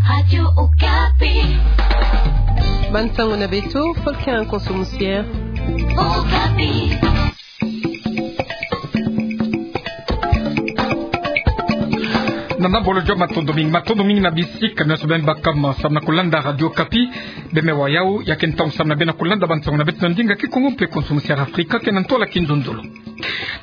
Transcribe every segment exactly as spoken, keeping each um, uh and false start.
Radio Okapi. Bansango na beto, Faustin Konso Musier. Okapi. Nana bolo jo, matondo mingi, matondo mingi na bisika nyonso beno baka samu na kulanda Radio Okapi. Beme wa yau, ya ke ntangu samu na beno kulanda bansango na beto na ndinga Kikongo mpe Konso Musier Afrika, ke na ntwala Kinzonzolo.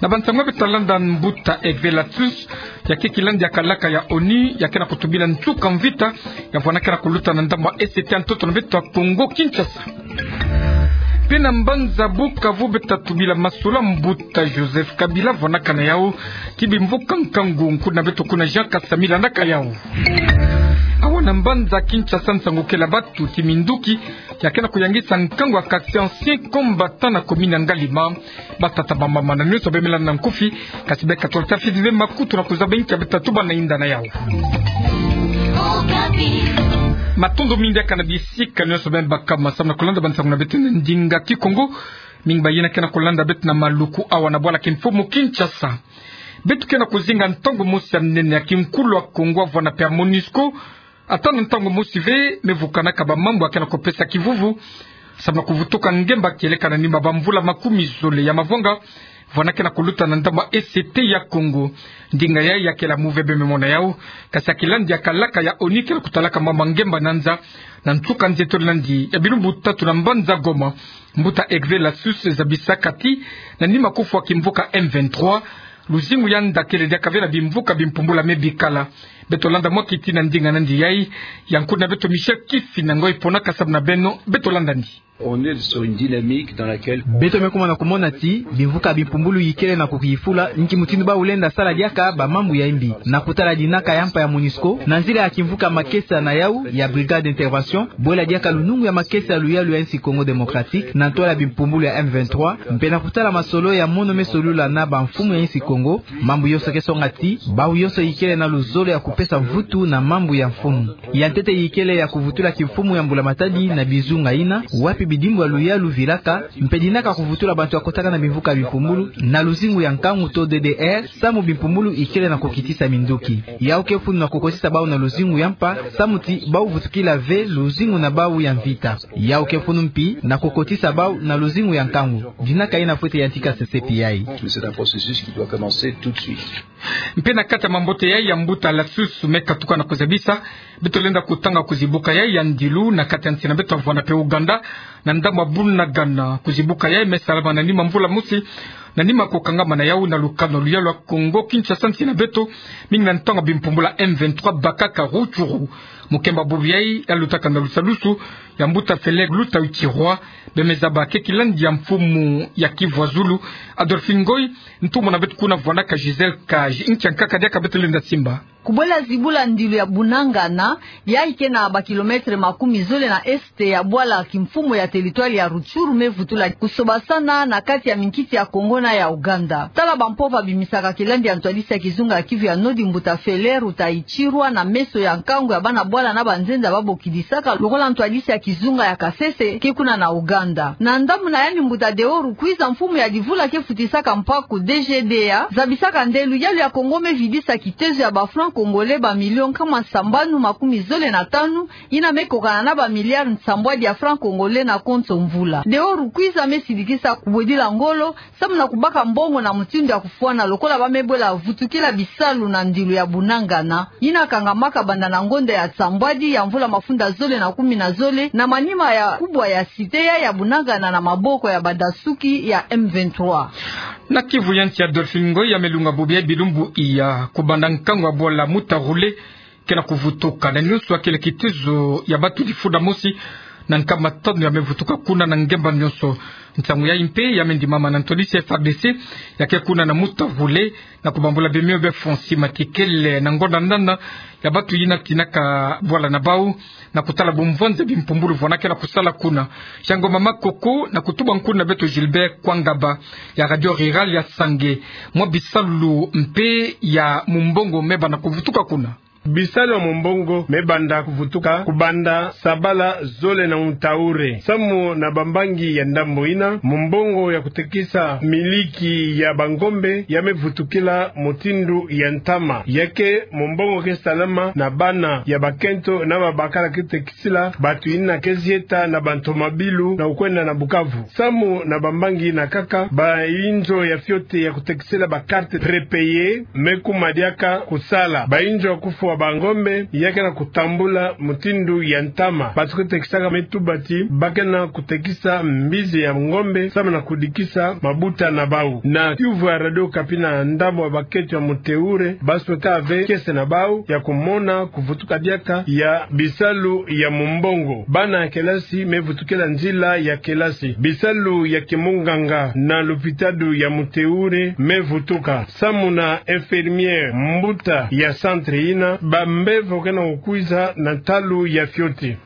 Na bansango beto talanda, mbuta Hervé Latsous, ya ke kilandi ya kalaka ya ONU, ya ke na kutubila nsuka mvita ya vwanda ke na kuluta na ndambu ya Est ya ntoto na beto ya Kongo Kinshasa. Mpe na mbanza Bukavu beto tatubila masolo ya mbuta Joseph Kabila, vwanakana yau ki bimvuka nkangu. Nkutu na beto kuna Jean Kasami landaka yau. Awa na mbanza Kinshasa, nsangu kele ya batu ti minduki ya ke na kuyangisa nkangu ya quartier ancien combattant na commune ya Ngalima. Batata, bamama na nyonso bemela na nkufi, kasi beka tolo ta fidi ve makutu na kuzaba inki ya beto tatuba na inda na yau. Matondo mingi diaka na bisika nyonso beno baka samu na kulanda bansango na beto na ndinga Kikongo. Mingi bayina ke na kulanda beto na maluku awa na bwala kimfumu Kinshasa. Beto ke na kuzinga ntangu mosi ya nene ya kinkulu ya Kongo ya vwanda mpe ya MONUSCO, ata na ntangu mosi ve me vukanaka bamambu ya ke na kupesa kivuvu samu na kuvutuka ngemba kieleka na nima bamvula makumi zole ya mavwanga vwanda ke na kuluta na ndambu ya Est ya Kongo. Ndinga yai ya kele ya muve, beme mona yau, kasi ya kilandi ya kalaka ya ONU ke na kutalaka mama ngemba na nza. Na nsuka nzietolo landi ya bilumbu tatu na mbanza Goma, mbuta Hervé Latsous zabisaka ti na nima kufwa kimvuka M vingt-trois, luzingu ya nda kele diaka ve na bimvuka bimpumbulu ya me bikala. Beto landa mwa kiti na ndinga nandi yai. Ya nkutu na beto Michel Kifina Ngoi ponaka samu na beno, beto landa ndi. On est sur une dynamique dans laquelle... Beto me kuma na kumona ti bimvuka bimpumbulu ikele na kukiyifula nki mutindu bau lenda sala diaka bamambu ya imbi. Na kutala dinaka ya mpa ya MONUSCO, na nzila ya kimvuka makesa na yau ya Brigade d'Intervention, bwela diaka lunungu ya makesa ya luyalu ya insi Congo Démocratique na ntwala bimpumbulu ya M vingt-trois, mpe na kutala masolo ya mono me solula na bamfumu ya insi Congo, mambu yonso ke songa ti bau yonso ikele na luzolo ya kupesa mvutu na mambu ya mfumu. Ya ntete ikele ya kuvutula kimfumu ya mbula matadi na bizunga ina, wapi bidimbu ya luyalu vilaka, mpe dinaka kuvutula bantu ya kotaka na bimvuka bimpumbulu na luzingu ya nkangu to D D R, samu bimpumbulu ikele na kukitisa minduki. Yau ke mfunu na kukotisa bau na luzingu ya mpa, samu ti bau vutukila ve luzingu na bau ya mvita. Yau ke mfunu mpi na kukotisa bau na luzingu ya nkangu. Dinaka ina fwete yantika sesepi yai. Mais c'est un processus qui doit commencer tout de suite. Mpe na kati ya mambote yai ya mbuta Latsous me katuka na kuzabisa, beto lenda kutanga kuzibuka yai ya ndilu na kati ya nsi na beto ya vwanda mpe Ouganda, na ndambu ya Bunagana. Kuzibuka yai me salama na nima mvula mosi na nima kukangama na yau na lukanu ya luyalu ya Congo Kinshasa, nsi na beto, mingi na ntangu ya bimpumbulu ya M vingt-trois bakaka Rutshuru. Mukemba bubu yai ya lutaka na lusalusu ya mbuta Félix Luta Utirwa, beme zaba ke kilandi ya mfumu ya Kivu ya Zulu. Adolphine Ngoy, ntumwa na beto kuna vwandaka Gisèle Kaji. Nkia nkaka diaka beto lenda simba? Kubwela zibula ndilu ya Bunagana, yai ke na ba kilomètre makumi zole na est ya bwala kimfumu ya territoire ya Rutshuru, me vutula kusobasana na kati ya minkiti ya Congo na ya Ouganda. Tala bampova bimisaka kilandi ya ntwadisi ya kizunga ya Kivu ya Nord, mbuta Félix Luta Utirwa, na meso ya nkangu ya bana bwala na banzenza babokidisaka, lokola ntwadisi ya kizunga ya Kasese ke kuna na Ouganda. Na ndambu na yandi, mbuta Deo Rugwiza, mfumu ya Divula ke futisaka mpaku D G D A, zabisaka nde luyalu ya Congo me vidisa kitezo ya ba francs congolais ba millions nkama sambanu makumi zole na tanu, ina me kokana na ba milliards nsambwadi ya francs congolais na konso mvula. Deo Rugwiza me sidikisa kubwedila ngolo samu na kubaka mbongo na mutindu ya kufwana lokola ba me bwela vutukila bisalu na ndilu ya Bunagana, ina kangamaka banda na ngonda ya nsambwadi ya mvula mafunda zole na kumi na zole, na manima ya kubwa ya cité ya, ya Bunagana na maboko ya badasuki ya M vingt-trois. Na Kivu ya nsi, Adolphine Ngoy, ya me lunga bubu ya bilumbu iya, kubanda nkangu ya bwala Mutagule ke na kuvutuka, na nyonso ya kele kitezo ya bantu difunda mosi na nkama tanu ya me vutuka kuna na ngemba nyonso. Ntangu yai mpe ya me ndimama na ntwadisi ya F A R D C ya ke kuna na Mutagule, na kubambula bemio be Fonsi Matikele na ngonda nana ya bantu yina tinaka bwala na bau, na kutala bumvwanzi bimpumbulu vwana ke na kusala kuna. Yango mama Koko, na kutuba nkuna beto Gilbert Kwangaba ya Radio Rurale ya Sange, mwa bisalu mpe ya mumbongo me banda kuvutuka kuna. Bisalu ya mumbongo me banda kuvutuka kubanda sabala zole na ntahure. Samu na bambangi ya ndambu ina, mumbongo ya kutekisa miliki ya bangombe ya me vutukila mutindu ya ntama. Ya ke mumbongo ke salama na bana ya bakento na babakala ke tekisila bantu ina ke zieta na bantu mabilu na kukwenda na Bukavu. Samu na bambangi ina kaka, bainzo ya fioti ya kutekisila ba carte prépayée me kuma diaka kusala. Bainzo ya kufwa bangombe ya ke na kutambula mutindu ya ntama. Bantu ke tekisaka me tuba ti ba ke na kutekisa mbizi ya ngombe samu na kudikisa mabuta na bau. Na kiuvu ya Radio Okapi na ndambu ya bakento ya mutehure, ba sweka ve kiese na bau ya kumona kuvutuka diaka ya bisalu ya mumbongo. Bana ya kelasi me vutukila nzila ya kelasi. Bisalu ya kimunganga na lopitalo ya mutehure me vutuka. Samu na infirmière mbuta ya centre ina, bambevo ke na kukwiza na ntalu ya fioti.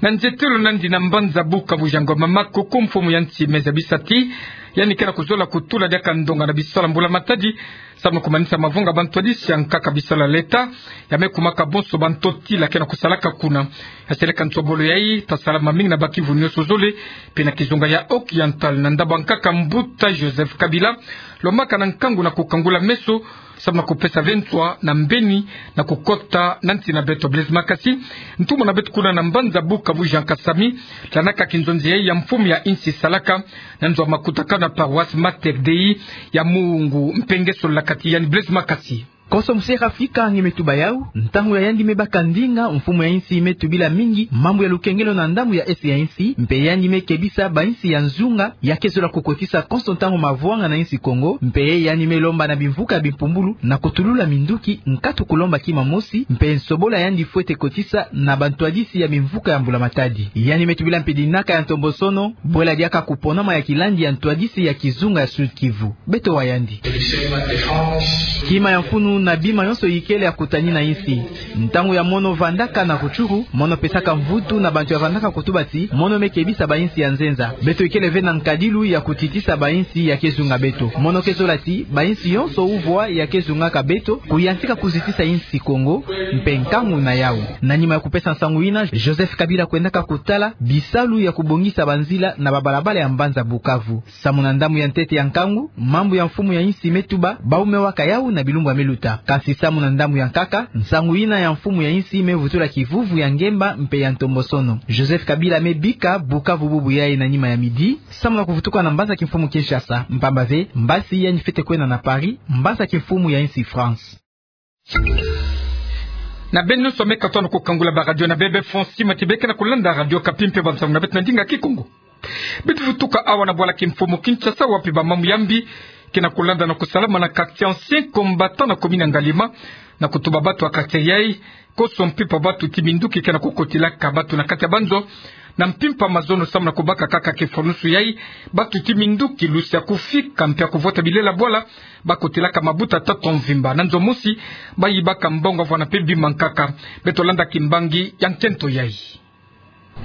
Na nzietelo nandi na mbanza Bukavu, Jean Ngoma Makoko, mfumu ya nsi me zabisa ti yandi ke na kuzola kutula diaka ndonga na bisalu ya mbula matadi, samu na kumanisa mavanga bantwadisi ya nkaka. Bisalu ya leta ya me kumaka bonso bantotila ke na kusalaka kuna. Ya seleka nsobolo yayi, ta sala mamingi na ba kivu nyonso zole, mpe na kizunga ya Occidental, na ndambu ya nkaka mbuta Joseph Kabila, lomaka na nkangu na kukangula meso, samu na kupesa ve nswa na mbeni na kukota na nsi na beto. Blaise Makasi, ntumwa na beto kuna na mbanza Bukavu, Jean Kasami, landaka kinzonzi yayi ya mfumu ya nsi salaka na nzo ya makutakanu na paroisse Mater Dei ya Mungu. Mpe nge sololaka ti yandi. Blaise Makasi. Konso musi Afrika nge me tuba yau, ntangu ya yandi me baka ndinga, mfumu ya nsi me tubila mingi mambu ya lukengelo na ndambu ya est ya nsi, mpe yandi me kebisa bansi ya nzunga ya ke zola kukotisa konso ntangu mavwanga na nsi Kongo, mpe yandi me lomba na bimvuka ya bimpumbulu na kutulula minduki nkatu kulomba kima mosi, mpe nsobolo ya yandi fwete kotisa na bantwadisi ya bimvuka ya mbula matadi. Yandi me tubila mpe dinaka ya ntombosono, bwela diaka kuponama ya kilandi ya ntwadisi ya kizunga ya Sud-Kivu. Beto wa yandi. Kima ya mfunu na bima nyonso ikele ya kutani na nsi. Ntangu ya mono vandaka na Rutshuru, mono pesaka mvutu na bantu ya vandaka kutuba ti mono me kebisa bansi ya nzenza. Beto ikele ve na nkadilu ya kutitisa bansi ya ke zunga beto. Mono ke zola ti bansi yonso uvwa ya ke zungaka beto, kuyantika kuzitisa nsi Kongo, mpe nkangu na yau. Na nima ya kupesa nsangu ina, Joseph Kabila kwendaka kutala bisalu ya kubongisa banzila na babalabala ya mbanza Bukavu. Samu na ndambu ya ntete ya nkangu, mambu ya mfumu ya nsi me tuba, bau me waka yau na bilumbu ya me luta. Kansi samu na ndambu ya nkaka, nsangu ina ya mfumu ya nsi me vutula kivuvu ya ngemba mpe ya ntombosono. Joseph Kabila me bika Bukavu bubu yayi na nima ya midi, samu na kuvutuka na mbanza kimfumu Kinshasa, mpamba ve mbasi yandi fwete kwenda na Paris, mbanza kimfumu ya nsi France. Na beno nyonso me katwa na kukangula ba radio na bebe France, tima ti be ke na kulanda Radio Okapi mpe bansangu na beto na ndinga Kikongo. Beto vutuka awa na bwala kimfumu Kinshasa, wapi ba mambu ya mbi ke na kulanda na kusalama na quartier Ancien Combattant na commune ya Ngaliema, na kutuba bantu ya quartier yayi, konso mpimpa bantu ti minduki ke na kukotilaka bantu na kati ya banzo, na mpimpa mazono samu na kubaka kaka kifwanusu yayi, bantu ti minduki lusi ya kufika mpe ya kuvota bilela bwala, ba kotilaka mabuta tata mvimba. Na nzo mosi, ba yibaka mbongo, vwanda mpe bima nkaka. Beto landa kimbangi ya nkento yayi.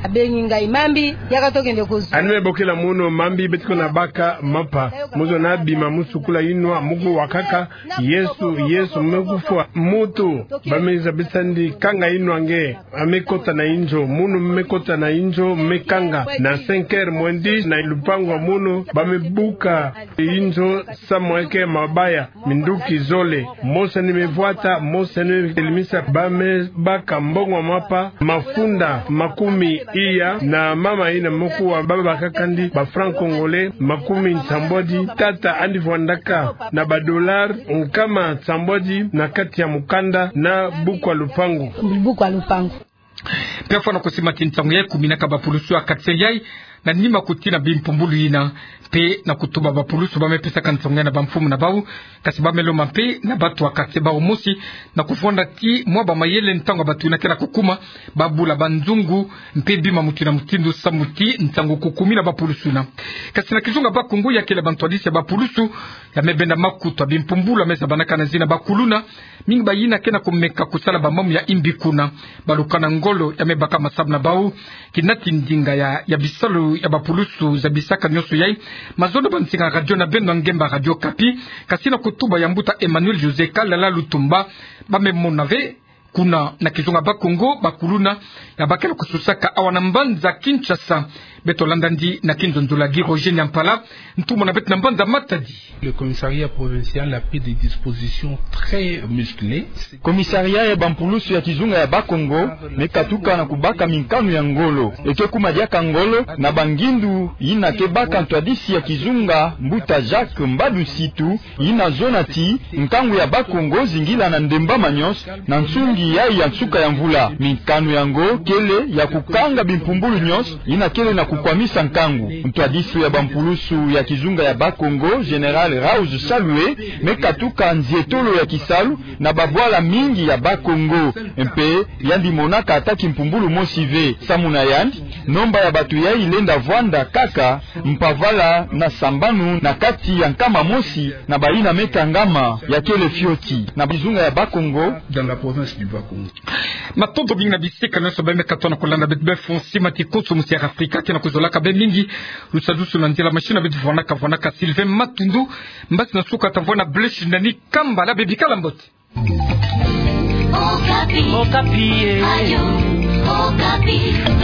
Abengi ngai mambi, yaka tokende kozwa. Yandi me bokila munu mambi, beto ke na baka mapa. Muzo na bima, mu sukula inwa, mu kuwakaka: Yesu, Yesu, me kufwa. Mutu ba me zabisa yandi: kanga inwa nge. A me kota na inzo, munu me kota na inzo, me kanga. Na cinq heures moins dix, na lupangu ya munu, ba me buka inzo, samu eke mabaya, minduki zole. Mosi yandi me vwata, mosi yandi me telemisa, ba me baka mbongo mapa, mafunda makumi iya, na mama ina me kuwa ba bakaka yandi ba francs congolais makumi nsambwadi, tata yandi vwandaka na ba dollars nkama nsambwadi na kati ya mukanda na buku ya lupangu. Buku ya lupangu. Mpe fwana kusima ti nsangu yayi kuminaka bapulusu ya quartier yayi, na nima kutina bimpumbulu yina, mpe na kutuba bapulusu ba me pesaka nsangu yayi na bamfumu na bau, kansi ba me lomba mpe na bantu ya quartier bau mosi, na kuvwanda ti mwa bamayele ntangu ya bantu yina ke na kukuma, ba bula banzungu, mpe bima mutindu na mutindu samu ti nsangu kukumina bapulusu yina. Kansi na kizunga Bas-Congo, ya kele bantwadisi ya bapulusu ya me benda makutu ya bimpumbulu ya me zabanaka na zina bakuluna, mingi bayina ke na kumeka kusala bamambu ya imbi kuna. Balukana ngolo ya me baka masamu na bau, kinati ndinga ya, ya bisalu ya bapulusu zabisaka nionso yai, mazono ba nsinga radio na beno ya ngemba Radio Okapi, kasi na kutuba ya mbuta Emmanuel José Kalala Lutumba, ba me mona ve kuna na kizunga Bas-Congo, bakuluna ya bakela kususaka awa na mbanza Kinshasa. Beto landa ndi na kinzonzolo ya Guy Roger Nyampala, ntumwa na beto na mbanza Matadi. Le commissariat provincial a pris des dispositions très musclées. Komisaria ya bampulusu ya kizunga ya Bas-Congo me katuka na kubaka minkanu ya ngolo. Eke kuma diaka ngolo na bangindu yina ke baka ntwadisi ya kizunga, mbuta Jacques Mbadu Nsitu, yina zona ti nkangu ya Bas-Congo zingila na ndembama nionso na nsungi yai ya nsuka ya mvula. Minkanu yango kele ya kukanga bimpumbulu nionso yina kele na kukwamisa nkangu. Ntwadisi ya bampulusu ya kizunga ya Bas-Congo, Général Rauge Salue, me katuka nzietolo ya kisalu na babwala mingi ya Bas-Congo. Mpe yandi monaka ata kimpumbulu mosi ve. Samu na yandi, nomba ya bato yai lenda vwanda kaka mpavala na sambanu na kati ya nkama mosi na bayina me kangama ya kele fioti na kizunga ya Bas-Congo. Dans la province du Bas-Congo. Matondo mingi na bisika nionso beno me katuka na kulanda beto. Beno fweti simba ti konso musi ya Afrika ke na kuzolaka beno mingi. Lusadusu na nzila machine beto vwanaka vwanaka Sylvain Matundu. Mbasi na suka ta vwanda bleshi na ni kamba la bebi kala mbote. Okapi. Okapi, eh. Radio Okapi.